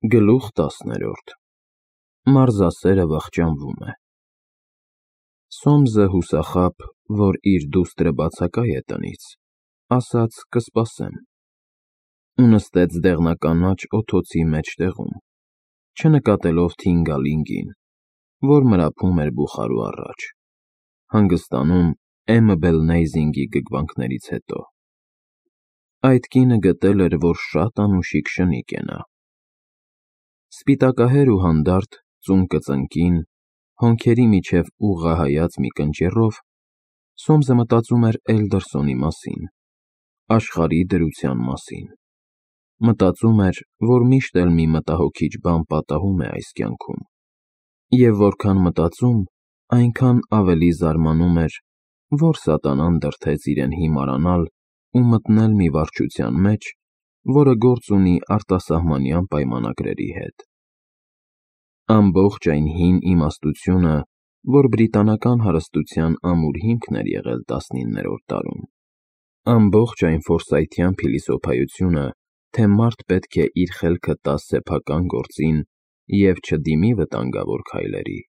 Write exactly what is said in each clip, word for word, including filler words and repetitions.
Գլուխ տասներորդ Մարզասերը վախճանվում է։ Սոմզը հուսախաբ, որ իր դուստրը բացակայ է տնից, ասաց կսպասեմ, ու նստեց դեղնականաչ օթոցի մեջտեղում, չնկատելով Թինգալինգին, որ մրափում էր բուխարու առաջ, հանգստանում Էմբելնեյզինգի գգվանքներից հետո։ Այդ կինը գտել էր, որ շատ անուշիկ շնիկ է նա։ Սպիտակահեր ու հանդարտ, ծունկը ծնկին, հոնքերի միջև ուղղահայաց մի կնճիռով, Սոմսը մտածում էր Էլդերսոնի մասին, աշխարհի դրության մասին, մտածում էր, որ միշտ էլ մի մտահոգիչ բան պատահում է այս կյանքում, և որքան մտածում, այնքան ավելի զարմանում էր, որ սատանան դրդեց իրեն հիմարանալ ու մտնել մի վարչության մեջ, որը գործ ունի արտասահմանյան պայմանագրերի հետ։ Ամբողջ այն հին իմաստությունը, որ բրիտանական հարստության ամուր հիմքն էր եղել տասնիններորդ դարում, ամբողջ այն ֆորսայթյան փիլիսոփայությունը, թե մարդ պետք է իր խելքը տա սեփական գործին և չդիմի վտանգավոր քայլերի,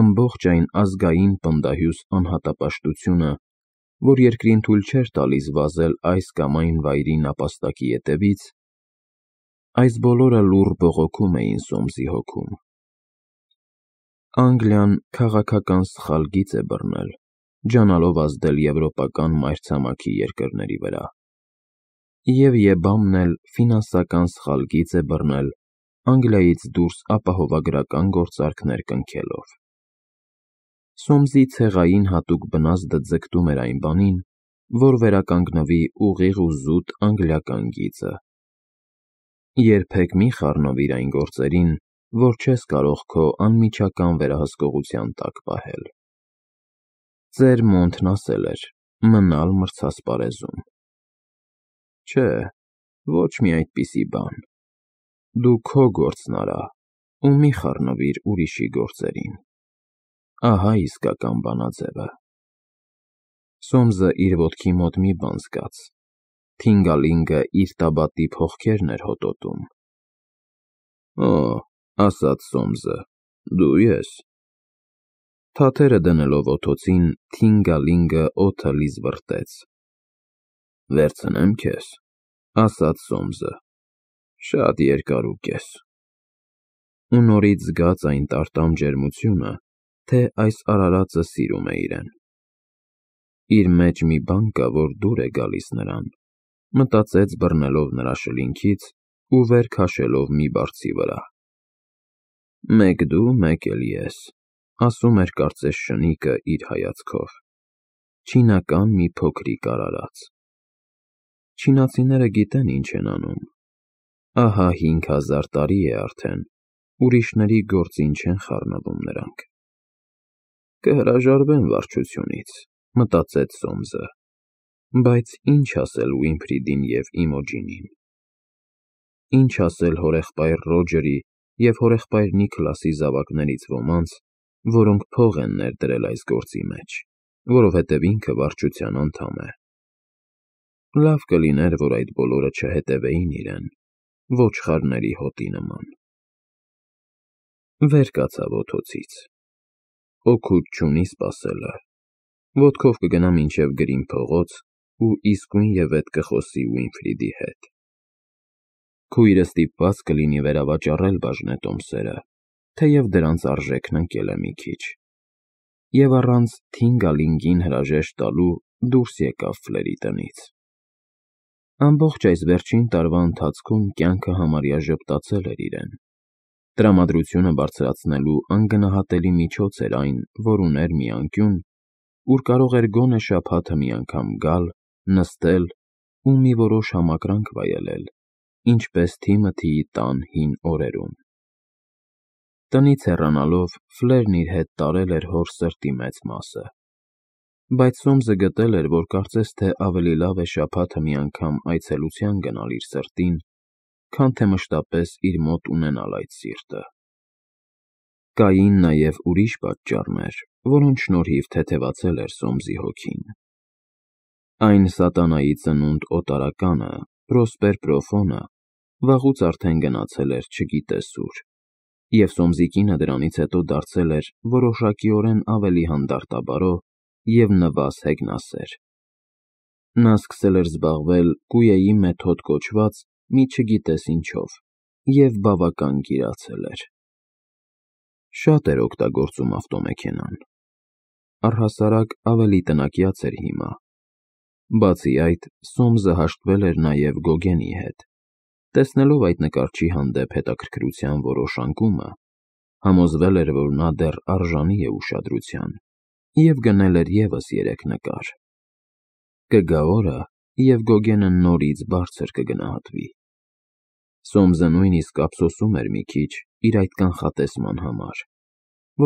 ամբողջ այն ազգային պնդահյուս անհատապաշտությունը, որ երկրին թույլ չէր տալիս վազել այս կամ այն վայրի նապաստակի ետևից, այս բոլորը լուռ բողոքում էին Սոմսի հոգում։ Անգլիան քաղաքական սխալ գիծ է բռնել, ջանալով ազդել եվրոպական մայրցամաքի երկրների վրա, և ԵԲԱՄ-ն էլ ֆինանսական սխալ գիծ է բռնել Անգլիայից դուրս ապահովագրական գործարքներ կնքելով։ Սոմսի ցեղային հատուկ բնազդը ձգտում էր այն բանին, որ վերականգնվի ուղիղ ու զուտ անգլիական գիծը։ Երբեք մի խառնվիր այն գործերին, որ չես կարող քո անմիջական վերահսկողության տակ պահել։ Ծեր Մոնթն ասել էր. մնալ մրցասպարեզում։ Չէ, ոչ մի այդպիսի բան։ Դու քո գործն արա ու մի խառնվիր ուրիշի գործերին։ Ահա իսկական բանաձևը։ Սոմսը իր ոտքի մոտ մի բան զգաց. Թինգալինգը իր տաբատի փողքերն էր հոտոտում։ Օ, ասաց Սոմսը, դու ես։ Թաթերը դնելով օթոցին, Թինգալինգը օդը լիզվռտեց։ Վերցնե՞մ քեզ, ասաց Սոմսը, շատ երկարուկ ես։ Ու նորից զգաց այն տարտամ ջերմությունը, թե այս արարածը սիրում է իրեն։ Իր մեջ մի բան կա, որ դուր է գալիս նրան, մտածեց բռնելով նրա շլինքից ու վեր քաշելով մի բարձի վրա։ Մեկ դու, մեկ էլ ես, ասում էր կարծես շնիկը իր հայացքով, չինական մի փոքրիկ արարած։ Չինացիները գիտեն ինչ են անում։ Ահա հինգ հազար տարի է արդեն, ուրիշների գործին չեն խառնվում նրանք։ Կհրաժարվեն վարչությունից, մտածեց Սոմսը, բայց ինչ ասել Ուինֆրիդին և Իմոջինին։ Ինչ ասել հորեղբայր Ռոջերի և հորեղբայր Նիքլասի զավակներից ոմանց, որոնք փող են ներդրել այս գործի մեջ, որովհետև ինքը վարչության անդամ է։ Լավ կլիներ, որ այդ բոլորը չհետևեին իրեն, ոչխարների հոտի նման։ Վեր կացավ օթոցից։ Օգուտ չունի սպասելը, ոտքով կգնա մինչև Գրին փողոց ու իսկույնևեթ կխոսի Ուինֆրիդի հետ։ Քույրը ստիպված կլինի վերավաճառել բաժնետոմսերը, թեև դրանց արժեքն ընկել է մի քիչ, և առանց Թինգալինգին հրաժեշտ տալու դուրս եկավ Ֆլերի տնից։ Ամբողջ այս վերջին տարվա ընթացքում կյանքը համարյա ժպտացել էր իրեն։ Տրամադրությունը բարձրացնելու անգնահատելի միջոց էր այն, որ ուներ մի անկյուն, ուր կարող էր գոնե շաբաթը մի անգամ գալ, նստել ու մի որոշ համակրանք վայելել, ինչպես Թիմոթիի տան հին օրերում։ Տնից հեռանալով Ֆլերն իր հետ տարել էր հոր սրտի մեծ մասը, բայց Սոմսը գտել էր, որ կարծես թե ավելի լավ է շաբաթը մի անգամ այցելության գնալ իր սրտին, քան թե մշտապես իր մոտ ունենալ այդ սիրտը։ Կային նաև ուրիշ պատճառներ, որոնց շնորհիվ թեթևացել էր Սոմսի հոգին։ Այն սատանայի ծնունդ օտարականը, Պրոսպեր Պրոֆոնը, վաղուց արդեն գնացել էր չգիտես ուր, և Սոմզիկինը դրանից հետո դարձել էր որոշակիորեն ավելի հանդարտաբարո և նվազ հեգնասեր։ Նա սկսել էր զբաղվել կույեի մեթոդ կոչված մի չգիտես ինչով և բավական գիրացել էր։ Շատ էր օգտագործում ավտոմեքենան, առհասարակ ավելի տնակյաց էր հիմա։ Բացի այդ, Սոմսը հաշտվել էր նաև Գոգենի հետ, տեսնելով այդ նկարչի հանդեպ հետաքրքրության որոշ անկումը, համոզվել էր, որ նա դեռ արժանի է ուշադրության, և գնել էր ևս երեք նկար։ Կգա օրը, և Գոգենը նորից բարձր կգնահատվի։ Սոմսը նույնիսկ ափսոսում էր մի քիչ իր այդ կանխատեսման համար,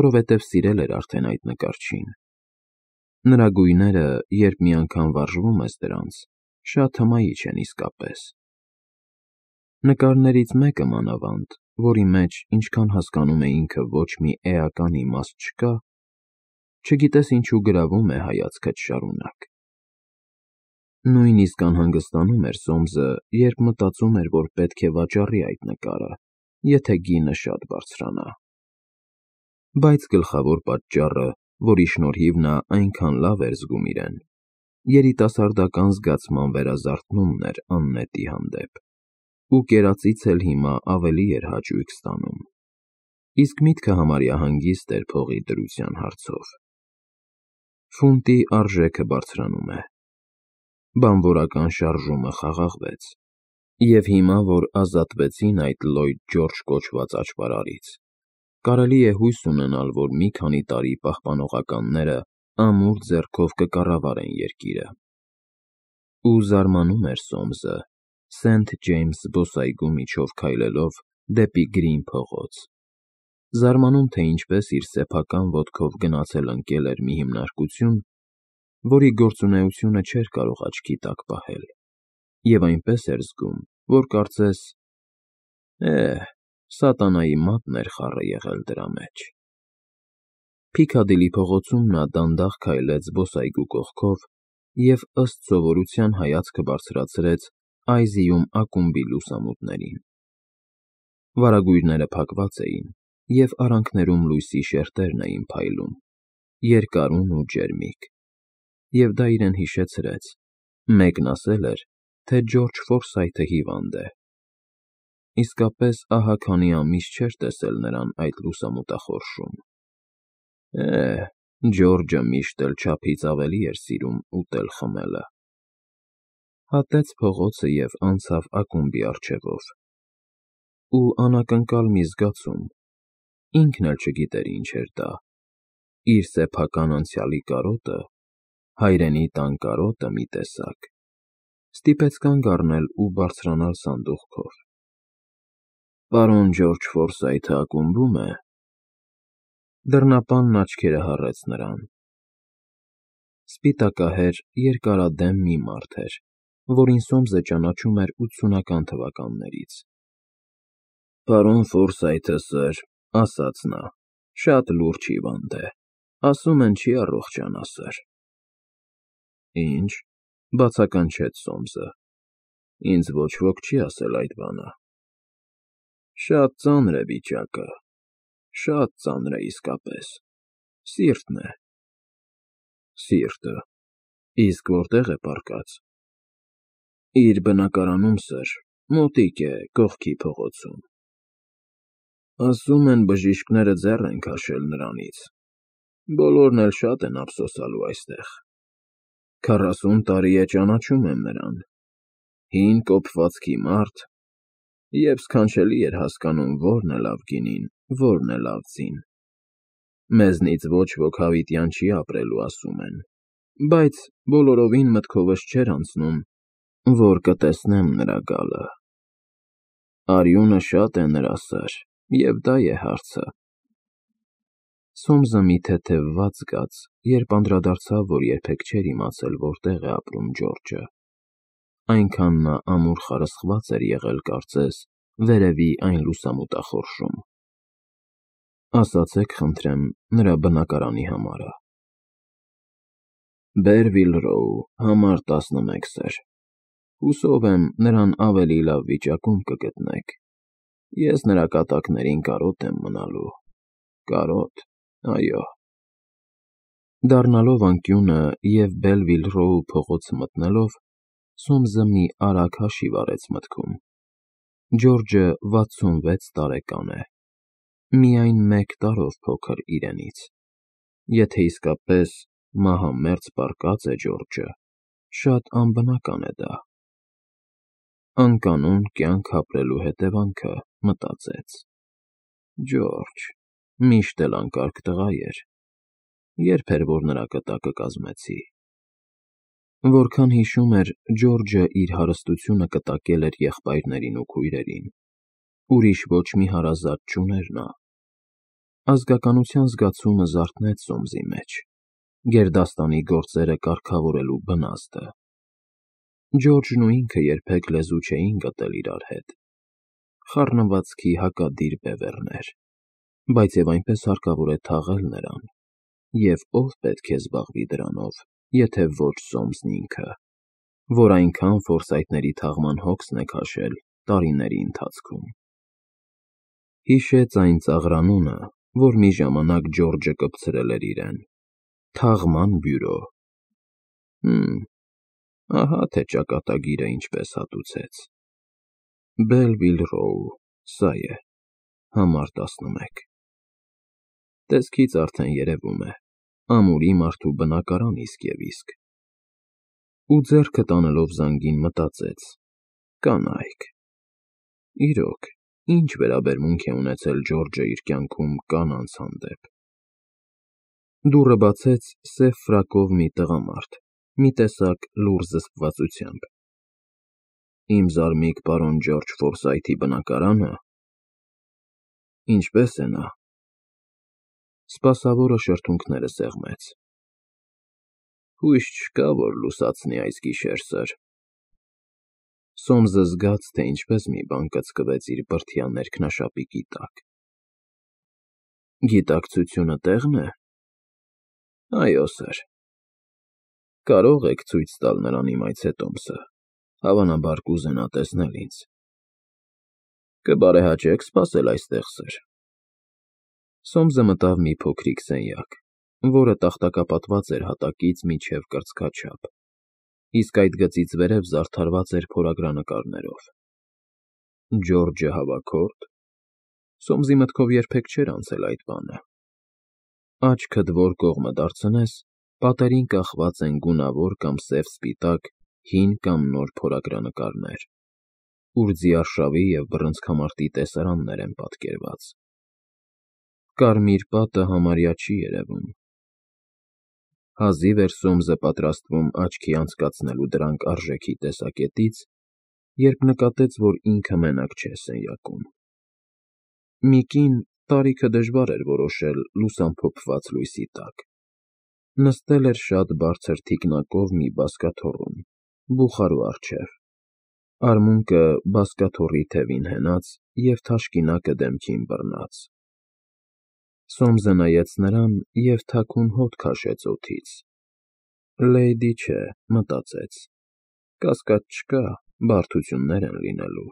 որովհետև սիրել էր արդեն այդ նկարչին։ Նրա գույները, երբ մի անգամ վարժվում ես դրանց, շատ հմայիչ են իսկապես։ Նկարներից մեկը մանավանդ, որի մեջ, ինչքան հասկանում է ինքը, ոչ մի էական իմաստ չկա, չգիտես ինչու գրավում է հայացքդ շարունակ։ Նույնիսկ անհանգստանում էր Սոմսը, երբ մտածում էր, որ պետք է վաճառի այդ նկարը, եթե գինը շատ բարձրանա։ Բայց գլխավոր պատճառը, որի շնորհիվ նա այնքան լավ էր զգում իրեն, երիտասարդական զգացման վերազարթնումն էր աննետի հանդեպ, ու կերածից էլ հիմա ավելի էր հաճույք ստանում, իսկ միտքը համարյա հանգիստ էր փողի դրության հարցով։ Ֆունտի արժեքը բարձրանում է։ Բանվորական շարժումը խաղաղվեց, և հիմա, որ ազատվեցին այդ Լլոյդ Ջորջը կոչված աճպարարից, կարելի է հույս ունենալ, որ մի քանի տարի պահպանողականները ամուր ձեռքով կկառավարեն երկիրը։ Ու զարմանում էր Սոմսը, Սենթ Ջեյմս զբոսայգու միջով քայլելով դեպի Գրին փողոց, զարմանում, թե ինչպես իր սեփական ոտքով գնացել ընկել էր մի հիմնարկություն, որի գործունեությունը չէր կարող աչքի տակ պահել, և այնպես էր զգում, որ կարծես, «Է՜, սատանայի մատն էր խառը եղել դրա մեջ»։ Փիքադիլի փողոցում նա դանդաղ քայլեց զբոսայգու կողքով և ըստ սովորության հայացքը բարձրացրեց Այզիում ակումբի լուսամուտներին։ Վարագույրները փակված էին, և արանքներում լույսի շերտերն էին փայլում, երկարուն ու ջերմիկ, և դա իրեն հիշեցրեց. մեկն ասել էր, թե Ջորջ Ֆորսայթը հիվանդ է։ Իսկապես ահա քանի ամիս չէր տեսել նրան այդ լուսամուտախորշում։ Է՜, Ջորջը միշտ էլ չափից ավելի էր սիրում ուտել֊խմելը։ Հատեց փողոցը և անցավ ակումբի առջևով։ Ու անակնկալ մի զգացում, ինքն էլ չգիտեր ինչ էր դա, իր սեփական անցյալի կարոտը, հայրենի տան կարոտը մի տեսակ, ստիպեց կանգ առնել ու բարձրանալ սանդուղքով։ Պարոն Ջորջ Ֆորսայթը ակումբում է։ Դռնապանն աչքերը հառեց նրան։ Սպիտակահեր, երկարադեմ մի մարդ էր, որին Սոմսը ճանաչում էր ութսունական թվականներից։ Պարոն Ֆորսայթը, սըր, ասաց նա, շատ լուրջ հիվանդ է, ասում են չի առողջանա, սըր։ Ինչ, բացականչեց Սոմսը, ինձ ոչ ոք չի ասել այդ բանը։ Շատ ծանր է վիճակը, շատ ծանր է իսկապես, սիրտն է։ Սիրտը, իսկ որտե՞ղ է պառկած։ Իր բնակարանում, սըր, մոտիկ է, կողքի փողոցում։ Ասում են բժիշկները ձեռ են քաշել նրանից, բոլորն էլ շատ են ափսոսալու այստեղ։ Քառասուն տարի է ճանաչում եմ նրան, հին կոփվածքի մարդ, և սքանչելի էր հասկանում որն է լավ գինին, որն է լավ ձին։ Մեզնից ոչ ոք հավիտյան չի ապրելու, ասում են, բայց բոլորովին մտքովս չէր անցնում, որ կտեսնեմ նրա գալը։ Արյունը շատ է նրա, սըր, և դա է հարցը։ Սոմսը մի թեթև վատ զգաց, երբ անդրադարձավ, որ երբեք չէր իմացել որտեղ է ապրում Ջորջը։ Այնքան նա ամուր խարսխված էր եղել, կարծես, վերևի այն լուսամուտախորշում։ Ասացեք, խնդրեմ, նրա բնակարանի համարը։ Բերվիլ Ռոու, համար տասնմեկ, սըր։ Հուսով եմ, նրան ավելի լավ վիճակում կգտնեք։ Ես նրա կատակներին կարոտ եմ մնալու, կարոտ, այո։ Դառնալով անկյունը և Բելվիլ-Ռոու փողոցը մտնելով, Սոմսը մի արագ հաշիվ արեց մտքում. Ջորջը վաթսունվեց տարեկան է, միայն մեկ տարով փոքր իրենից։ Եթե իսկապես մահամերձ պառկած է Ջորջը, շատ անբնական է դա։ Անկանոն կյանք ապրելու հետևանքը, մտածեց։ Ջորջ, միշտ էլ անկարգ տղա էր, երբ էր, որ նրա կտակը կազմեցի։ Որքան հիշում էր, Ջորջը իր հարստությունը կտակել էր եղբայրներին ու քույրերին, ուրիշ ոչ մի հարազատ չուներ նա։ Ազգականության զգացումը զարթնեց Սոմսի մեջ, գերդաստանի գործերը կարգավորելու բնազդը։ Ջորջն ու ինքը երբեք լեզու չէին գտել իրար հետ, խառնվածքի հակադիր բևեռներ, բայց և այնպես հարկավոր է թաղել նրան, և ո՞վ պետք է զբաղվի դրանով, եթե ոչ Սոմսն ինքը, որ այնքան ֆորսայթների թաղման հոգսն է քաշել տարիների ընթացքում։ Հիշեց այն ծաղրանունը, որ մի ժամանակ Ջորջը կպցրել էր իրեն. Թաղման բյուրո։ Հըմ, ահա թե ճակատագիրը ինչպես հատուցեց։ Բելվիլ-Ռոու, սա է, համար տասնմեկ։ Տեսքից արդեն երևում է, ամուրի մարդու բնակարան իսկ և իսկ։ Ու ձեռքը տանելով զանգին մտածեց. կանայք։ Իրոք, ինչ վերաբերմունք է ունեցել Ջորջը իր կյանքում կանանց հանդեպ։ Դուռը բացեց սև ֆրակով մի տղամարդ, մի տեսակ լուռ զսպվածությամբ։ Իմ զարմիկ պարոն Ջորջ Ֆորսայթի բնակարանը։ Ինչպե՞ս է նա։ Սպասավորը շրթունքները սեղմեց։ Հույս չկա, որ լուսացնի այս գիշեր, սըր։ Սոմսը զգաց, թե ինչպես մի բան կծկվեց իր բրդյա ներքնաշապիկի տակ։ Գիտակցությունը տեղ՞ն է։ Այո, սըր։ Կարո՞ղ եք ցույց տալ նրան իմ այցետոմսը, հավանաբար կուզենա տեսնել ինձ։ Կբարեհաճե՞ք սպասել այստեղ, սըր։ Սոմսը մտավ մի փոքրիկ սենյակ, որը տախտակապատված էր հատակից մինչև կրծքաչափ, իսկ այդ գծից վերև զարդարված էր փորագրանկարներով։ Ջորջը հավաքորդ։ Սոմսի մտքով երբեք չէր անցել այդ բանը։ Աչքդ որ կողմը դարձնես, պատերին կախված են գունավոր կամ սև֊սպիտակ, հին կամ նոր փորագրանկարներ, ուր ձիարշավի և բռնցքամարտի տեսարաններ են պատկերված։ Կարմիր պատը համարյա չի երևում։ Հազիվ էր Սոմսը պատրաստվում աչքի անցկացնելու դրանք արժեքի տեսակետից, երբ նկատեց, որ ինքը մենակ չէ սենյակում։ Մի կին, տարիքը դժվար էր որոշել լուսամփոփված լույսի տակ, նստել էր շատ բարձր թիկնակով մի բազկաթոռում, բուխարու առջև, արմունկը բազկաթոռի թևին հենած և թաշկինակը դեմքին բռնած։ Սոմսը նայեց նրան և թաքուն հոտ քաշեց օդից։ Լեյդի չէ, մտածեց, կասկած չկա, բարդություններ են լինելու։